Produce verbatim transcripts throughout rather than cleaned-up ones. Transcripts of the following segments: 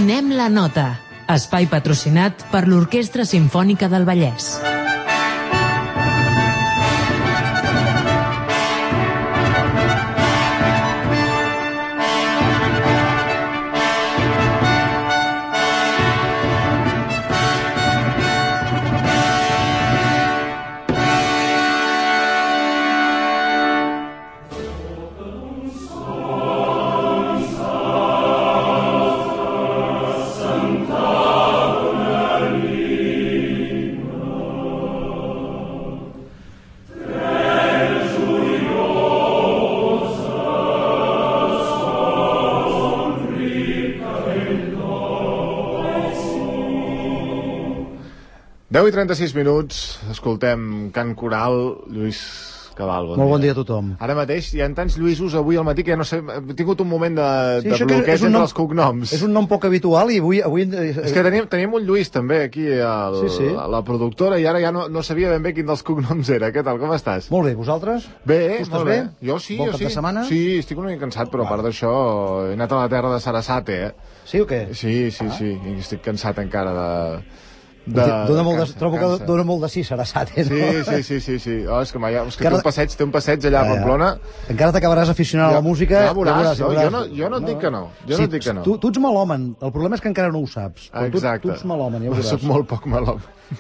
Donem la nota. Espai patrocinat per l'Orquestra Simfònica del Vallès. deu i trenta-sis minuts, escoltem Cant Coral, Lluís Cabal. Bon Molt bon dia a tothom. Ara mateix hi ha tants Lluïsos avui al matí que ja no sé, he tingut un moment de, sí, de bloqueig entre nom, els cognoms. És un nom poc habitual i avui... avui... És que teníem, teníem un Lluís també aquí al, sí, sí. a la productora i ara ja no, no sabia ben bé quin dels cognoms era. Què tal, com estàs? Molt bé, vosaltres? Bé, tu molt bé? bé. Jo sí, bon jo cap sí. de setmana? Sí, estic una mica cansat, però a part d'això he anat a la terra de Sarasate, eh? Sí o què? Sí, sí, ah. sí, i estic cansat encara de... De, dona molt de, cansa, trobo cansa. que dona molt de sí, Sarasate, no? Sí, sí, sí, sí, sí. Oh, és que, és que té un passeig, té un passeig allà a Pamplona. Encara t'acabaràs aficionant a la música. Ja veuràs, ja veuràs, jo, jo, no, jo no et dic que no. Jo sí, no et dic que no. Tu, tu ets melòmen, el problema és que encara no ho saps. Exacte. Tu, tu ets melòmen, ja ho veuràs. Soc molt poc melòmen.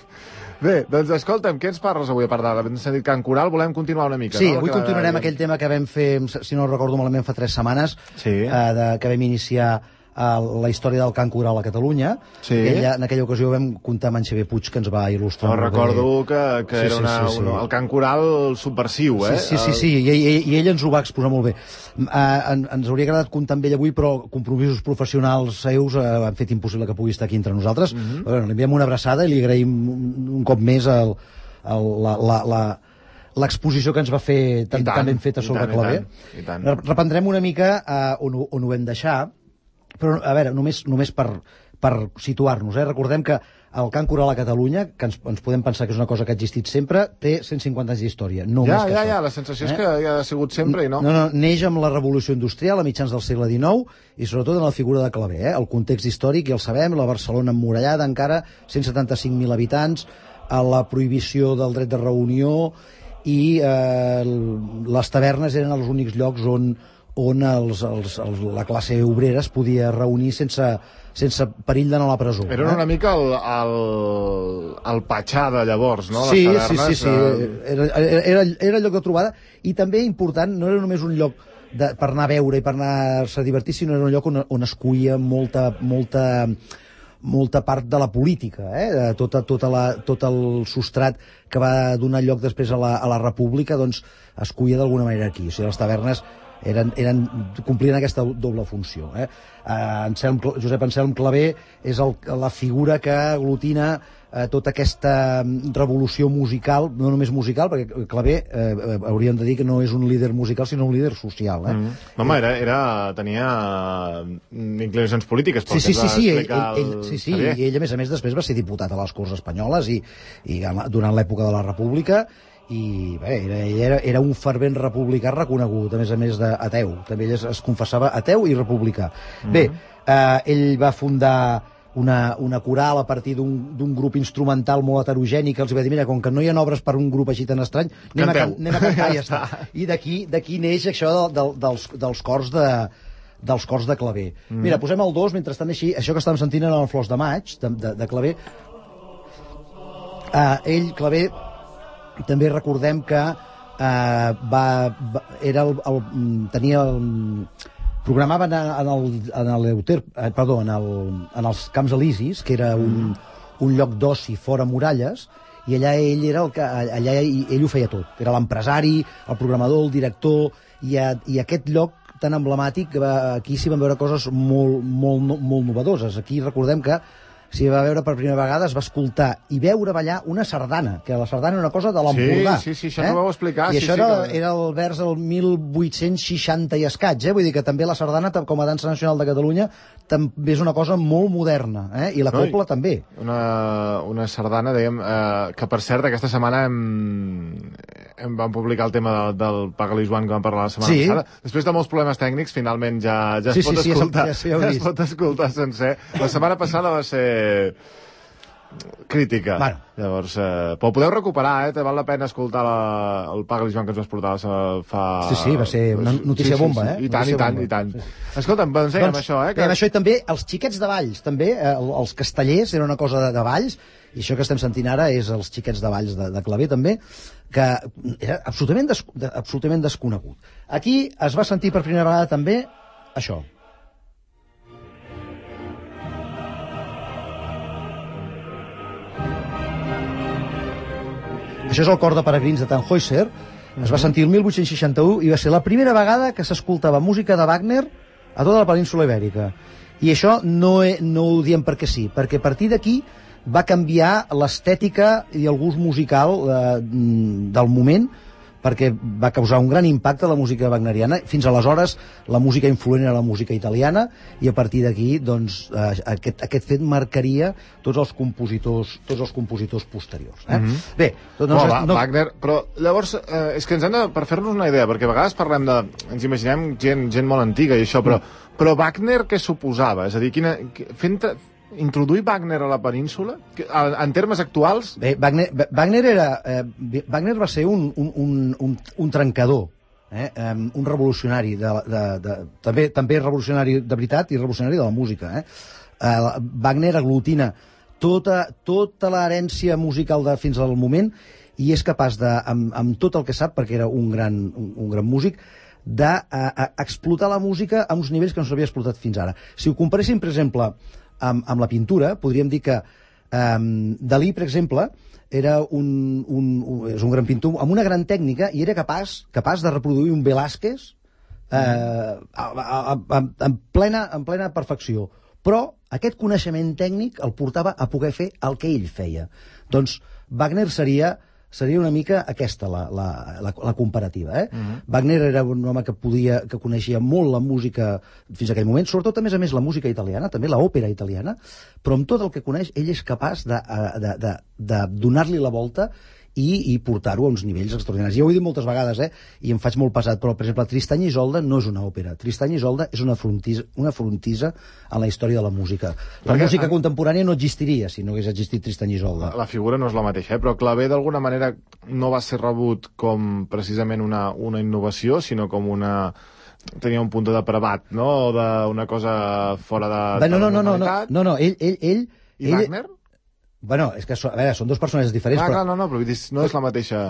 Bé, doncs escolta'm, què ens parles avui a part d'ara? Hem sentit Cant Coral, volem continuar una mica, sí, no? Sí, avui continuarem de... aquell tema que vam fer, si no recordo malament, fa tres setmanes, sí. eh, de, que vam iniciar la història del cant coral a Catalunya. Sí. Aquella, en aquella ocasió vam comptar amb en Xavier Puig, que ens va il·lustrar. No, recordo que, que sí, era una, sí, sí, sí. Una, el cant coral subversiu, eh? Sí, sí, sí, sí. I, i, i ell ens ho va exposar molt bé. Uh, en, ens hauria agradat comptar amb ell avui, però compromisos professionals seus uh, han fet impossible que pugui estar aquí entre nosaltres. Uh-huh. Bueno, li enviem una abraçada i li agraïm un, un cop més el, el, la... la, la l'exposició que ens va fer tan, tan ben feta sobre claver. I tant, i tant. Reprendrem una mica uh, on, on ho vam deixar, però, a veure, només, només per, per situar-nos, eh? Recordem que el cant coral a Catalunya, que ens, ens podem pensar que és una cosa que ha existit sempre, té cent cinquanta anys d'història, no ja, més que ja, això. Ja, la sensació eh? és que ja ha sigut sempre i no. No, no, neix amb la revolució industrial a mitjans del segle dinou i sobretot en la figura de Claver, eh? El context històric, ja el sabem, la Barcelona emmurallada encara, cent setanta-cinc mil habitants, a la prohibició del dret de reunió i eh, les tavernes eren els únics llocs on on els, els, els, la classe obrera es podia reunir sense, sense perill d'anar a la presó. Era eh? una mica el, el, el patxà de llavors, no? Sí, les tavernes, sí, sí, sí. De... Era, era, era el lloc de trobada i també important, no era només un lloc de, per anar a veure i per anar-se a divertir, sinó era un lloc on, on es cuia molta, molta, molta part de la política, eh? tota, tota la, tot el substrat que va donar lloc després a la, a la República, doncs es cuia d'alguna manera aquí. O sigui, les tavernes eren, eren, complien aquesta doble funció. Eh? Anselm, Josep Anselm Claver és el, la figura que aglutina eh, tota aquesta revolució musical, no només musical, perquè Claver eh, hauríem de dir que no és un líder musical, sinó un líder social. Eh? Mm. Home, era, era, tenia inclinacions polítiques. Sí, sí, sí, sí, ell, ell, ell, sí, sí, i ell, a més a més, després va ser diputat a les Corts Espanyoles i, i durant l'època de la República, i bé, era, era, era un fervent republicà reconegut, a més a més d'ateu. També ell es, es confessava ateu i republicà. Mm-hmm. Bé, eh, ell va fundar una, una coral a partir d'un grup instrumental molt heterogeni que els va dir, mira, com que no hi ha obres per un grup així tan estrany, anem, a, can, anem a cantar i ja està. I d'aquí neix això de, de, dels, dels cors de dels cors de Claver. Mm. Mira, posem el dos, mentrestant així, això que estàvem sentint en el Flors de Maig, de, de, de Claver. Uh, ell, Claver, també recordem que eh, va, va, era el, el, tenia el, programava en, en el, en el Euter, eh, perdó, en, el, en els Camps Elisis, que era un, un lloc d'oci fora muralles, i allà ell era el que allà ell ho feia tot. Era l'empresari, el programador, el director, i, a, i aquest lloc tan emblemàtic, va, aquí s'hi van veure coses molt, molt, molt novedoses. Aquí recordem que s'hi va veure per primera vegada, es va escoltar i veure ballar una sardana, que la sardana era una cosa de l'Empordà. Sí, sí, sí, això eh? no ho vau explicar. I sí, això sí, era, que... era el vers del mil vuit-cents seixanta i escaig, eh? Vull dir que també la sardana, com a dansa nacional de Catalunya, també és una cosa molt moderna, eh? I la copla no, també. Una, una sardana, dèiem, eh, que per cert, aquesta setmana hem, hem vam publicar el tema del, del Pagalis One que vam parlar la setmana sí. passada. Després de molts problemes tècnics, finalment ja, ja, sí, es, pot sí, escoltar, sí, ja, ja es pot escoltar sencer. La setmana passada va ser crítica. Bueno. Llavors, eh, però ho podeu recuperar, eh? Te val la pena escoltar la, el Pagalis One que ens vas portar fa... Sí, sí, va ser una notícia sí, sí, bomba, sí, eh? I tant, notícia i tant, bomba. i tant. Sí, sí. Escolta'm, doncs dèiem doncs, això, eh? Que... això i també els xiquets de Valls, també, eh, els castellers, era una cosa de, de Valls, i això que estem sentint ara és els xiquets de Valls de, de Claver, també, que era absolutament, des, de, absolutament desconegut. Aquí es va sentir per primera vegada també això. Això és el cor de peregrins de Tannhäuser. Es va sentir el mil vuit-cents seixanta-u i va ser la primera vegada que s'escoltava música de Wagner a tota la península Ibèrica. I això no, he, no ho diem perquè sí, perquè a partir d'aquí va canviar l'estètica i el gust musical eh, del moment, perquè va causar un gran impacte a la música wagneriana. Fins aleshores la música influent era la música italiana i a partir d'aquí doncs, eh, aquest, aquest fet marcaria tots els compositors, tots els compositors posteriors. Eh? Mm-hmm. Bé, doncs, no, va, no... Wagner, però llavors eh, és que ens hem de, per fer-nos una idea, perquè a vegades parlem de, ens imaginem gent, gent molt antiga i això, però, mm. però Wagner què suposava? És a dir, quina, fent, introduir Wagner a la península en termes actuals? Bé, Wagner, Wagner, era, eh, Wagner va ser un, un, un, un, un trencador, eh? um, un revolucionari de, de, de, també, també revolucionari de veritat i revolucionari de la música. Eh? Uh, Wagner aglutina tota, tota l'herència musical de fins al moment i és capaç de, amb, amb tot el que sap, perquè era un gran, un, un gran músic, d'explotar la música a uns nivells que no s'havia explotat fins ara. Si ho comparéssim, per exemple, Amb, amb la pintura, podríem dir que um, Dalí, per exemple, era un, un, un, és un gran pintor amb una gran tècnica i era capaç, capaç de reproduir un Velázquez eh, a, a, a, en, plena, en plena perfecció. Però aquest coneixement tècnic el portava a poder fer el que ell feia. Doncs Wagner seria... seria una mica aquesta la, la, la, la comparativa. Eh? Uh-huh. Wagner era un home que podia, que coneixia molt la música fins a aquell moment, sobretot a més a més la música italiana, també l'òpera italiana, però amb tot el que coneix ell és capaç de, de, de, de donar-li la volta i, i portar-ho a uns nivells extraordinaris. Ja ho he dit moltes vegades, eh? I em faig molt pesat, però, per exemple, Tristany i Isolde no és una òpera. Tristany i Isolde és una frontisa, una frontisa en la història de la música. La Perquè, música en... contemporània no existiria si no hagués existit Tristany i Isolde. La figura no és la mateixa, eh? Però Claver, d'alguna manera, no va ser rebut com precisament una, una innovació, sinó com una... tenia un punt de depravat, no? O d'una cosa fora de... Bé, no, no, no, no, no, no, no, ell... ell, ell I ell... Wagner? Bueno, és que, a veure, són dos personatges diferents, ah, però... Clar, no, no, però no és la mateixa...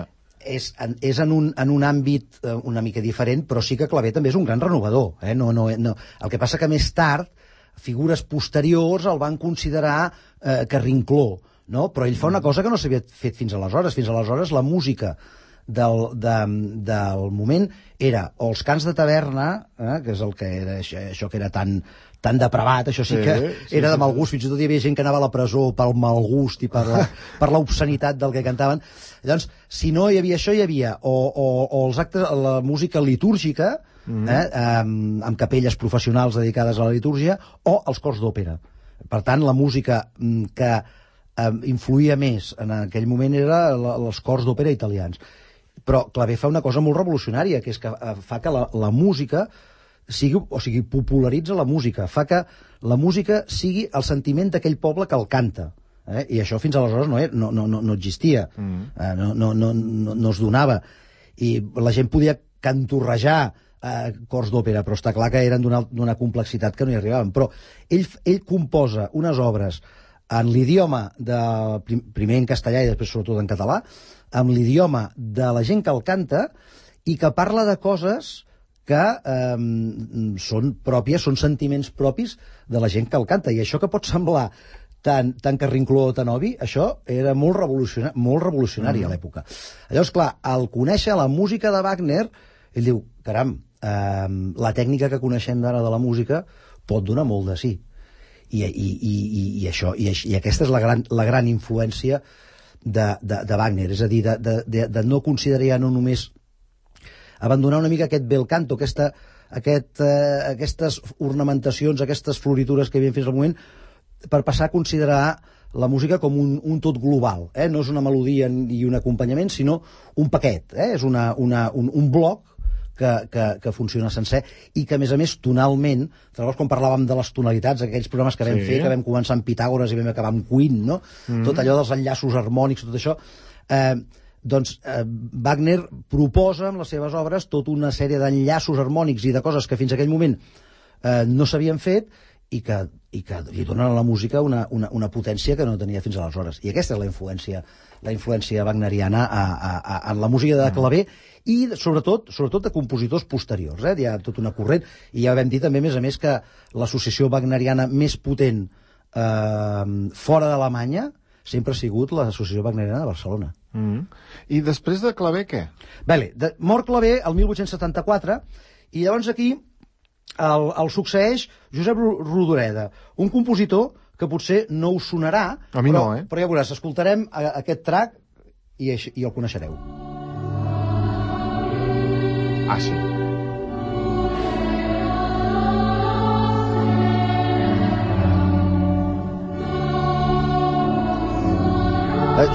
És, és en, un, en un àmbit eh, una mica diferent, però sí que Claver també és un gran renovador. Eh? No, no, no. El que passa que més tard, figures posteriors el van considerar eh, carrincló, no? Però ell fa una cosa que no s'havia fet fins aleshores. Fins aleshores la música del, de, del moment era o els cants de taverna, eh, que és el que era això, això que era tan... tan depravat, això sí que sí, sí, era de mal gust, fins i tot hi havia gent que anava a la presó pel mal gust i per la, per l'obscenitat del que cantaven. Llavors, si no hi havia això, hi havia o, o, o els actes, la música litúrgica, mm. eh, amb, amb capelles professionals dedicades a la litúrgia, o els cors d'òpera. Per tant, la música que eh, influïa més en aquell moment era la, els cors d'òpera italians. Però Claver fa una cosa molt revolucionària, que és que fa que la, la música sigui, o sigui, popularitza la música, fa que la música sigui el sentiment d'aquell poble que el canta. Eh? I això fins aleshores no, no, no, no existia, mm. eh, no, no, no, no, no es donava. I la gent podia cantorrejar eh, cors d'òpera, però està clar que eren d'una complexitat que no hi arribaven. Però ell, ell composa unes obres en l'idioma, de, primer en castellà i després sobretot en català, amb l'idioma de la gent que el canta i que parla de coses que eh, són pròpies, són sentiments propis de la gent que el canta. I això que pot semblar tan, tan carrincló o tan obvi, això era molt revolucionari, molt revolucionari mm. a l'època. Llavors, clar, al conèixer la música de Wagner, ell diu, caram, eh, la tècnica que coneixem d'ara de la música pot donar molt de sí. i, i, i, i, i això, i, i aquesta és la gran, la gran influència de, de, de Wagner, és a dir, de, de, de, de no considerar ja no només abandonar una mica aquest bel canto, aquesta, aquest, eh, aquestes ornamentacions, aquestes floritures que hi havia fins al moment, per passar a considerar la música com un, un tot global, eh? No és una melodia i un acompanyament, sinó un paquet, eh? És una, una, un, un bloc que, que, que funciona sencer i que, a més a més, tonalment, quan parlàvem de les tonalitats, aquells programes que vam sí. fer, que vam començar amb Pitàgores i vam acabar amb Queen, no? Mm. Tot allò dels enllaços harmònics, tot això, eh, doncs eh, Wagner proposa en les seves obres tota una sèrie d'enllaços harmònics i de coses que fins a aquell moment eh, no s'havien fet i que, i que li donen a la música una, una, una potència que no tenia fins aleshores. I aquesta és la influència, la influència wagneriana a, a, a, en la música de claver i sobretot sobretot de compositors posteriors. Eh? Hi ha tot una corrent, i ja vam dir també, a més a més, que l'associació wagneriana més potent eh, fora d'Alemanya sempre ha sigut l'associació wagneriana de Barcelona. Mm. I després de Clavé, què? Bé, de, mor Clavé el mil vuit-cents setanta-quatre, i llavors aquí el, el succeeix Josep Rodoreda, un compositor que potser no us sonarà, a mi però, no, eh? però ja veuràs, escoltarem a, aquest track i, i el coneixereu. Ah, sí.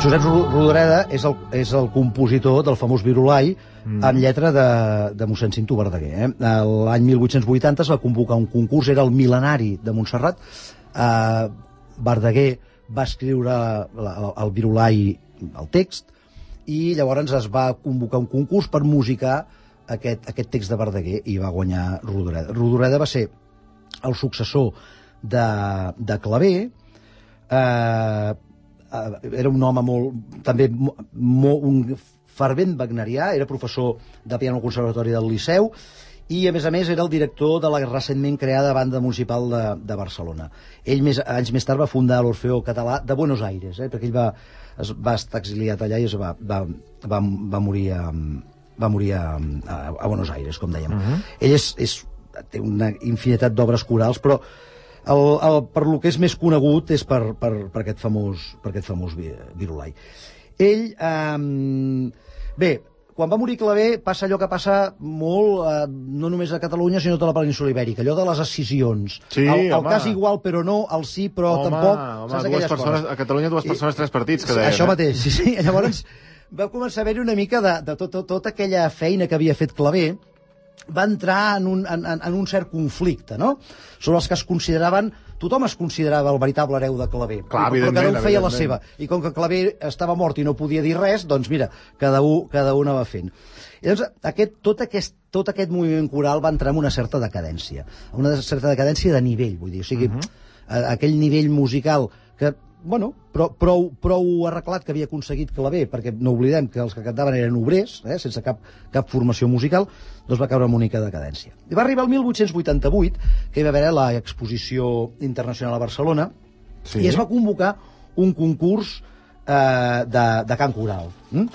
Josep Rodoreda és el, és el compositor del famós Virolai, mm. amb lletra de, de mossèn Cinto Verdaguer. Eh? L'any mil vuit-cents vuitanta es va convocar un concurs, era el mil·lenari de Montserrat. Eh, Verdaguer va escriure la, el Virolai, el text, i llavors es va convocar un concurs per musicar aquest, aquest text de Verdaguer, i va guanyar Rodoreda. Rodoreda va ser el successor de, de Clavé. eh, era un home molt, també molt, un fervent wagnerià, era professor de piano al Conservatori del Liceu i, a més a més, era el director de la recentment creada Banda Municipal de, de Barcelona. Ell, més, anys més tard, va fundar l'Orfeó Català de Buenos Aires, eh, perquè ell va, es, va estar exiliat allà i es va, va, va, va morir, a, va morir a, a, a Buenos Aires, com dèiem. Uh-huh. Ell és, és, té una infinitat d'obres corals, però El, el, per lo que és més conegut és per, per, per aquest famós, per aquest famós Virolai. Ell, eh, bé, quan va morir Clavé passa allò que passa molt, eh, no només a Catalunya, sinó a tota la península ibèrica, allò de les escissions. Sí, el, el home. cas igual, però no, el sí, però home, tampoc. Home, saps dues persones, a Catalunya dues persones, I, tres partits, que deien. Això eh? mateix, sí, sí. Llavors va començar a haver-hi una mica de, de tot, tot, tota aquella feina que havia fet Clavé, va entrar en un, en, en un cert conflicte, no? Sobre els que es consideraven... Tothom es considerava el veritable hereu de Clavé, Clar, però cada un feia la seva. I com que Clavé estava mort i no podia dir res, doncs mira, cada un, cada un va fent. I llavors, aquest, tot, aquest, tot aquest moviment coral va entrar en una certa decadència, una certa decadència de nivell, vull dir, o sigui, uh -huh. aquell nivell musical que, bueno, prou, prou, prou arreglat que havia aconseguit Clavé, perquè no oblidem que els que cantaven eren obrers, eh, sense cap, cap formació musical, doncs va caure en una mica de decadència. I va arribar el mil vuit-cents vuitanta-vuit, que hi va haver l'exposició internacional a Barcelona, sí. I es va convocar un concurs eh, de, de cant coral. Mm?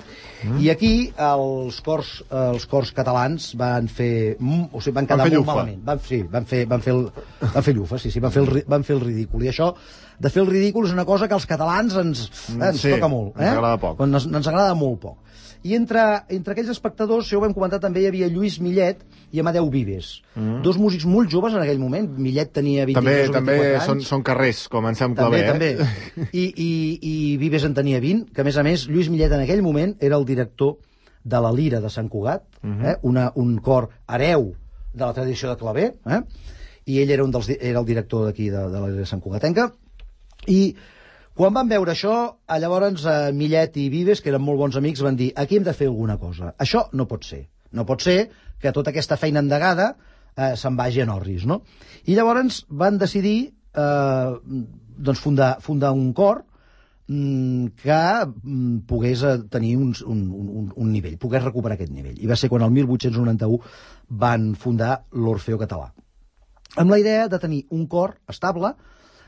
Mm. I aquí els cors, els cors catalans van fer... O sigui, van quedar van molt llufa. malament. Van, sí, van fer, van fer, el, van fer llufa, sí, sí, van fer, el, van fer el ridícul. I això, de fer el ridícul, és una cosa que als catalans ens, eh, ens sí, toca molt. Eh? Ens agrada poc. Ens, ens agrada molt poc. I entre, entre aquells espectadors, si ho vam comentar, també hi havia Lluís Millet i Amadeu Vives. Mm. Dos músics molt joves en aquell moment. Millet tenia vint-i-tres o també, vint-i-quatre també són, són carrers, com en Sam Clavé, Clavé, eh? També, I, i, i Vives en tenia vint, que a més a més Lluís Millet en aquell moment era el director de la Lira de Sant Cugat, mm-hmm. eh? Una, un cor hereu de la tradició de Clavé, eh? I ell era, un dels, era el director d'aquí de, de la Lira de Sant Cugatenca, i quan van veure això, llavors eh, Millet i Vives, que eren molt bons amics, van dir, aquí hem de fer alguna cosa. Això no pot ser. No pot ser que tota aquesta feina endegada eh, se'n vagi en orris, no? I llavors van decidir eh, doncs fundar, fundar un cor mm, que mm, pogués eh, tenir un, un, un, un nivell, pogués recuperar aquest nivell. I va ser quan el mil vuit-cents noranta-u van fundar l'Orfeó Català, amb la idea de tenir un cor estable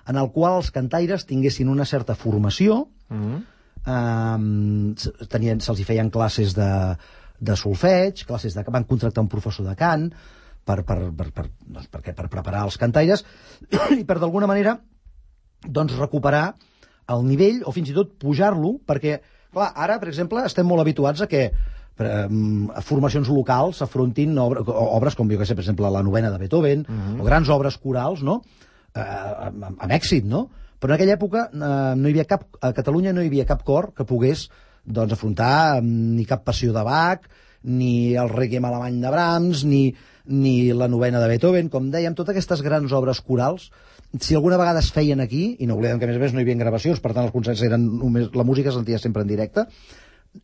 en el qual els cantaires tinguessin una certa formació, mm-hmm. eh, tenien, se'ls hi feien classes de, de solfeig, classes de, van contractar un professor de cant per, per, per, per, doncs, perquè, per preparar els cantaires i per d'alguna manera doncs, recuperar el nivell o fins i tot pujar-lo, perquè, clar, ara, per exemple, estem molt habituats a que a formacions locals s'afrontin obres, obres com, jo que sé, per exemple, la novena de Beethoven, uh-huh. o grans obres corals, no?, eh, amb, amb èxit, no? Però en aquella època eh, no hi havia cap, a Catalunya no hi havia cap cor que pogués, doncs, afrontar ni cap passió de Bach, ni el Requiem alemany de Brahms, ni, ni la novena de Beethoven, com dèiem, totes aquestes grans obres corals, si alguna vegada es feien aquí, i no oblidem que a més a més no hi havia gravacions, per tant els concerts eren només, la música es sentia sempre en directe,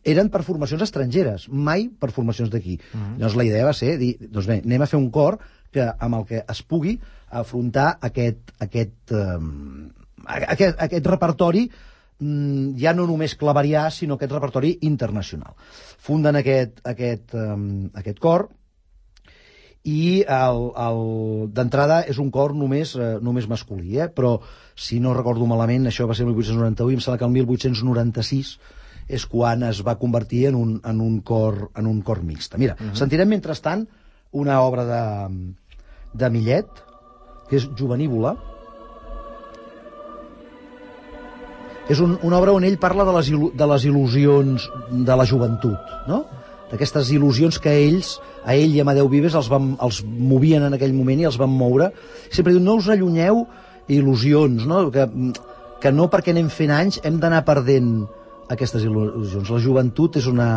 eren per formacions estrangeres, mai per formacions d'aquí. Uh-huh. Llavors la idea va ser dir, doncs bé, anem a fer un cor que, amb el que es pugui afrontar aquest, aquest, um, aquest, aquest repertori, um, ja no només claverià, sinó aquest repertori internacional. Funden aquest, aquest, um, aquest cor, i d'entrada és un cor només, eh, només masculí, eh? Però si no recordo malament, això va ser el mil vuit-cents noranta-u, i em sembla que el mil vuit-cents noranta-sis és quan es va convertir en un, en un, cor, en un cor mixta. Mira, uh-huh. sentirem mentrestant una obra de, de Millet, que és Jovenívola. És un, una obra on ell parla de les, il·lu, de les il·lusions de la joventut, no?, d'aquestes il·lusions que ells, a ell i a Amadeu Vives, els, van, els movien en aquell moment i els van moure. Sempre diu, no us allunyeu il·lusions, no?, que, que no perquè anem fent anys hem d'anar perdent aquestes il·lusions. La joventut és una...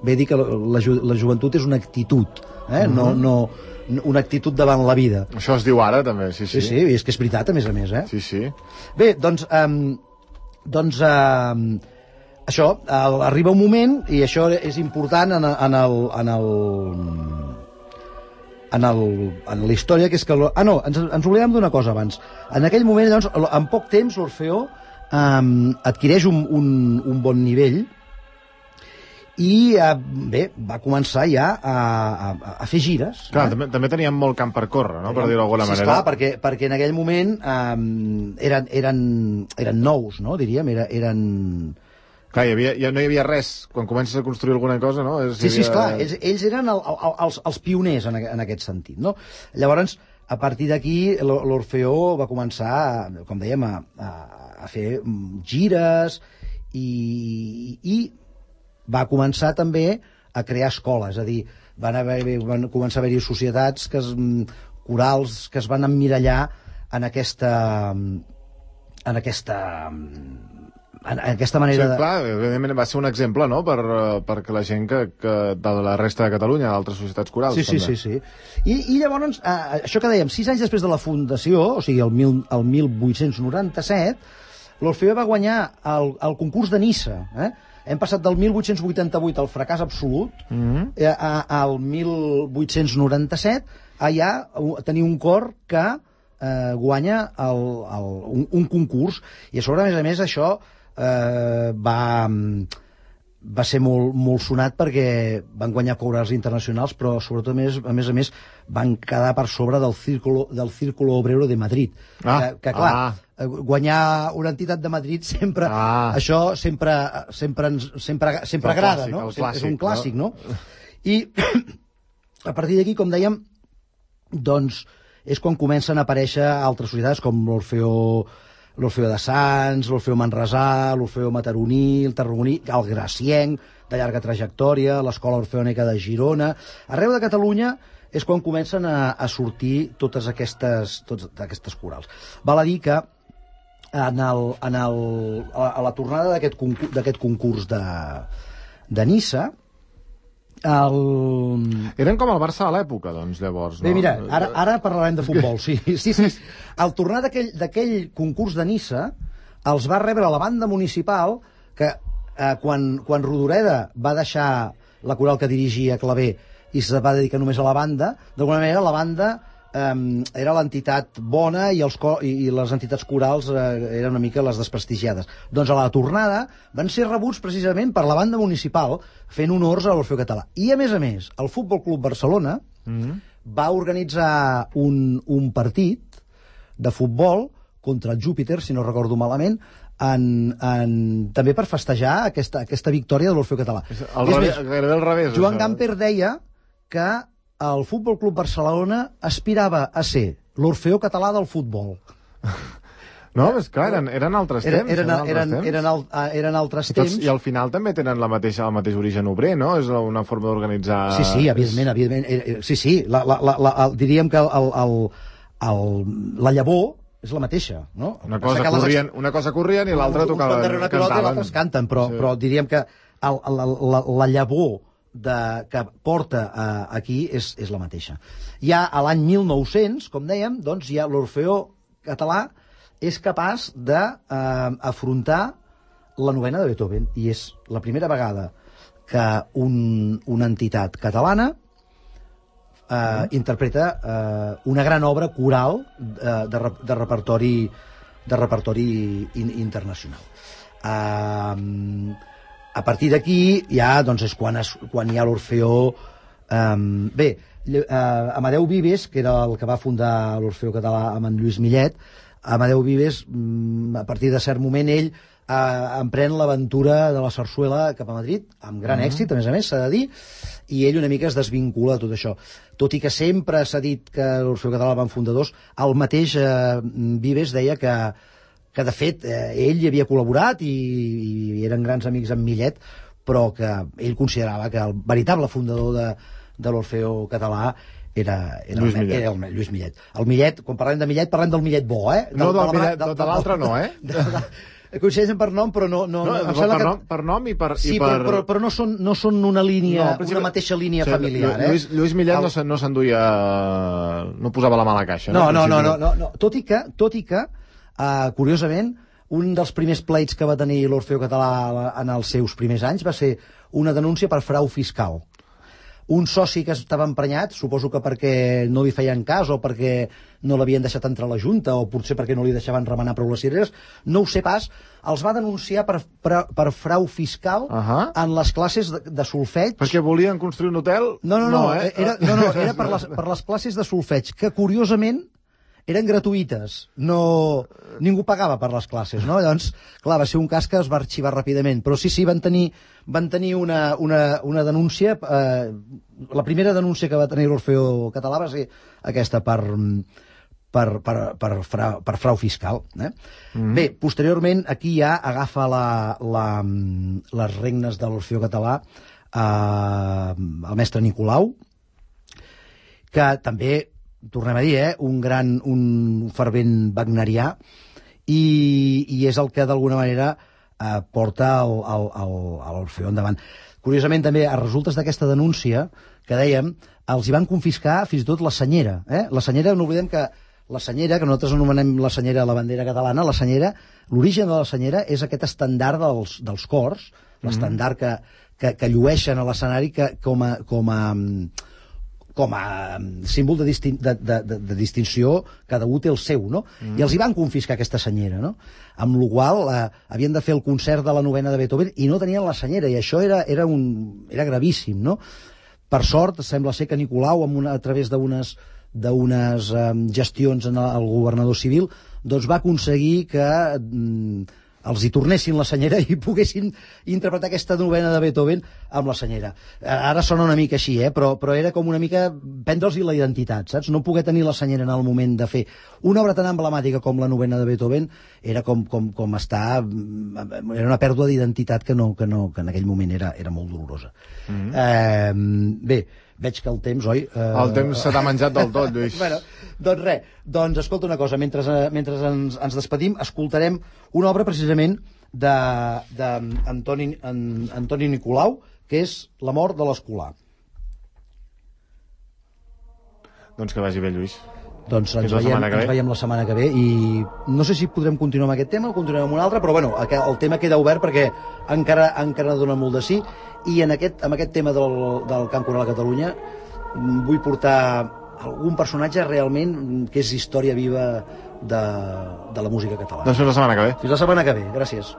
Bé dir que la, la, la joventut és una actitud, eh? Mm-hmm. no, no, una actitud davant la vida. Això es diu ara, també, sí, sí. Sí, sí, i és que és veritat, a més a més, eh? Sí, sí. Bé, doncs... Um, doncs... Um, això, el, arriba un moment, i això és important en, en el... En el en, el, en la història, que és que... Ah, no, ens, ens oblidem d'una cosa abans. En aquell moment, doncs, en poc temps, l'Orfeó um, adquireix un, un, un bon nivell i, uh, bé, va començar ja a, a, a fer gires. Clar, eh? també, també teníem molt camp per córrer, no?, per dir-ho d'alguna sí, manera. Sí, esclar, perquè, perquè en aquell moment um, eren, eren, eren nous, no?, diríem, era, eren... Clar, hi havia, ja no hi havia res. Quan comences a construir alguna cosa, no? És, sí, sí, havia... esclar, ells, ells eren el, el, els, els pioners en, en aquest sentit, no? Llavors, a partir d'aquí, l'Orfeó va començar, com dèiem, a, a, a fer gires i, i va començar també a crear escoles, és a dir, van, haver, van començar a haver-hi societats que es, corals que es van emmirallar en aquesta en aquesta en aquesta manera... Sí, clar, evidentment va ser un exemple, no?, per, perquè la gent que, que de la resta de Catalunya, d'altres societats corals, sí, sí, també. Sí, sí. I, i llavors, eh, això que dèiem, sis anys després de la fundació, o sigui, el, mil, el mil vuit-cents noranta-set, l'Orfeó va guanyar el, el concurs de Niça, eh? Hem passat del mil vuit-cents vuitanta-vuit al fracàs absolut, mm-hmm. eh, a, al mil vuit-cents noranta-set, allà tenir un cor que eh, guanya el, el, un, un concurs, i a sobre, a més a més, això eh, va, va ser molt, molt sonat perquè van guanyar corals internacionals, però sobretot, a més a més, a més van quedar per sobre del Círculo, del Círculo Obrero de Madrid. Ah, que, que clar, ah. guanyar una entitat de Madrid sempre, ah. això sempre, sempre, sempre, sempre agrada, clàssic, no? Clàssic, és un clàssic, no? no? I a partir d'aquí, com dèiem, doncs és quan comencen a aparèixer altres societats com l'Orfeó l'Orfeó de Sants, l'Orfeó Manresà, l'Orfeó Mataroní, el Tarragoní, el Gracienc, de llarga trajectòria, l'Escola Orfeònica de Girona. Arreu de Catalunya és quan comencen a, a sortir totes aquestes, totes aquestes corals. Val a dir que en el, en el, a la tornada d'aquest concurs, d'aquest concurs de, de Niça, el... Eren com el Barça a l'època, doncs, llavors, no? Bé, mira, ara, ara parlarem de futbol, sí. sí, sí. Al tornar d'aquell concurs de Niça, els va rebre la banda municipal, que eh, quan, quan Rodoreda va deixar la coral que dirigia Clavé i se va dedicar només a la banda, d'alguna manera la banda eh, era l'entitat bona i, els, i, i les entitats corals eh, eren una mica les desprestigiades. Doncs a la tornada van ser rebuts precisament per la banda municipal fent honors a l'Orfeó Català. I a més a més, el Futbol Club Barcelona mm-hmm. va organitzar un, un partit de futbol contra el Júpiter, si no recordo malament, en, en, també per festejar aquesta, aquesta victòria de l'Orfeó Català. El revés, més, gairebé al revés. Joan això. Gamper deia que el Futbol Club Barcelona aspirava a ser l'Orfeó Català del futbol. No, és clar, eren, eren altres Era, temps. eren, eren, eren, temps. eren, al, eren altres I, tots, temps. I al final també tenen la mateixa, el mateix origen obrer, no? És una forma d'organitzar... Sí, sí, evidentment, evidentment. Sí, sí, la, la, la, la, el, diríem que el, el, el, la llavor és la mateixa, no? Una cosa, corrien, les... una cosa corrien i l'altra tocaven, cantaven. I l'altre canten, però, sí. però diríem que el, la, la, la llavor de, que porta uh, aquí és, és la mateixa. Ja a l'any mil nou-cents, com dèiem, doncs ja l'Orfeó Català és capaç d'afrontar eh, la novena de Beethoven, i és la primera vegada que un, una entitat catalana eh, mm. interpreta eh, una gran obra coral eh, de, de repertori de repertori in, internacional. Eh, a partir d'aquí ja doncs, és quan, es, quan hi ha l'Orfeó. Eh, bé, eh, Amadeu Vives, que era el que va fundar l'Orfeó Català amb en Lluís Millet, Amadeu Vives, a partir de cert moment, ell eh, emprèn l'aventura de la sarsuela cap a Madrid, amb gran uh-huh. èxit, a més a més, s'ha de dir, i ell una mica es desvincula de tot això. Tot i que sempre s'ha dit que l'Orfeó Català van fundadors, el mateix eh, Vives deia que, que de fet, eh, ell hi havia col·laborat i, i eren grans amics amb Millet, però que ell considerava que el veritable fundador de, de l'Orfeó Català Era, era, Lluís el, Millet. era el Lluís Millet. El Millet, quan parlem de Millet, parlem del Millet bo, eh? Del, no, del, Millet, de, de l'altre no, eh? De, de, de, coincideixen per nom, però no... no, no no per, que... nom, per nom i per... Sí, i per... Però, però, però no, són, no són una línia, no, una mateixa línia sí, familiar, eh? Lluís, Lluís Millet el... no s'enduia... No posava la mà a la caixa, no? No, no, no, no, no, no. Tot i que, tot i que uh, curiosament, un dels primers pleits que va tenir l'Orfeó Català en els seus primers anys va ser una denúncia per frau fiscal. Un soci que estava emprenyat, suposo que perquè no li feien cas o perquè no l'havien deixat entrar a la Junta o potser perquè no li deixaven remenar prou les cireres, no ho sé pas, els va denunciar per, per, per frau fiscal uh -huh. en les classes de, de solfeig. Perquè volien construir un hotel? No, no, no, no, eh? era, no, no era per, les, per les classes de solfeig, que curiosament eren gratuïtes, no, ningú pagava per les classes, no? Llavors, clar, va ser un cas que es va arxivar ràpidament, però sí, sí, van tenir, van tenir una, una, una denúncia, eh, la primera denúncia que va tenir l'Orfeó Català va ser aquesta per, per, per, per, frau, per frau fiscal. Eh? Mm. Bé, posteriorment, aquí ja agafa la, la, les regnes de l'Orfeó Català eh, el mestre Nicolau, que també, tornem a dir, eh, un gran, un fervent wagnerià, i, i és el que d'alguna manera eh, porta el, el, el, l'Orfeó endavant. Curiosament també, a resultes d'aquesta denúncia que dèiem, els hi van confiscar fins i tot la senyera, eh? La senyera, no oblidem que la senyera, que nosaltres anomenem la senyera la bandera catalana, la senyera, l'origen de la senyera és aquest estandard dels, dels cors, mm-hmm. l'estandard que, que, que llueixen a l'escenari que, com a, com a com a símbol de, distin de, de, de, de distinció, cada un té el seu, no? Mm. I els hi van confiscar aquesta senyera, no? Amb la qual eh, havien de fer el concert de la novena de Beethoven i no tenien la senyera, i això era, era, un, era gravíssim, no? Per sort, sembla ser que Nicolau, amb una, a través d'unes d'unes eh, gestions en el, el governador civil, doncs va aconseguir que mm, els hi tornessin la senyera i poguessin interpretar aquesta novena de Beethoven amb la senyera. Ara sona una mica així, eh? però, però era com una mica prendre'ls-hi la identitat, saps? No poder tenir la senyera en el moment de fer una obra tan emblemàtica com la novena de Beethoven era com, com, com estar... Era una pèrdua d'identitat que, no, que, no, que en aquell moment era, era molt dolorosa. Mm-hmm. eh, bé, veig que el temps, oi? Eh... El temps se t'ha menjat del tot, Lluís. bueno, doncs res, doncs escolta una cosa, mentre, mentre ens, ens despedim, escoltarem una obra precisament d'Antoni Antoni Nicolau, que és La mort de l'Escolà. Doncs que vagi bé, Lluís. Doncs ens veiem, ens veiem la setmana que ve i no sé si podrem continuar amb aquest tema o continuem amb un altre, però bueno, el tema queda obert perquè encara, encara dona molt de sí, i en aquest, amb aquest tema del, del Camp Coral a Catalunya vull portar algun personatge realment que és història viva de, de la música catalana. Doncs fins la setmana que ve. Fins la setmana que ve, gràcies.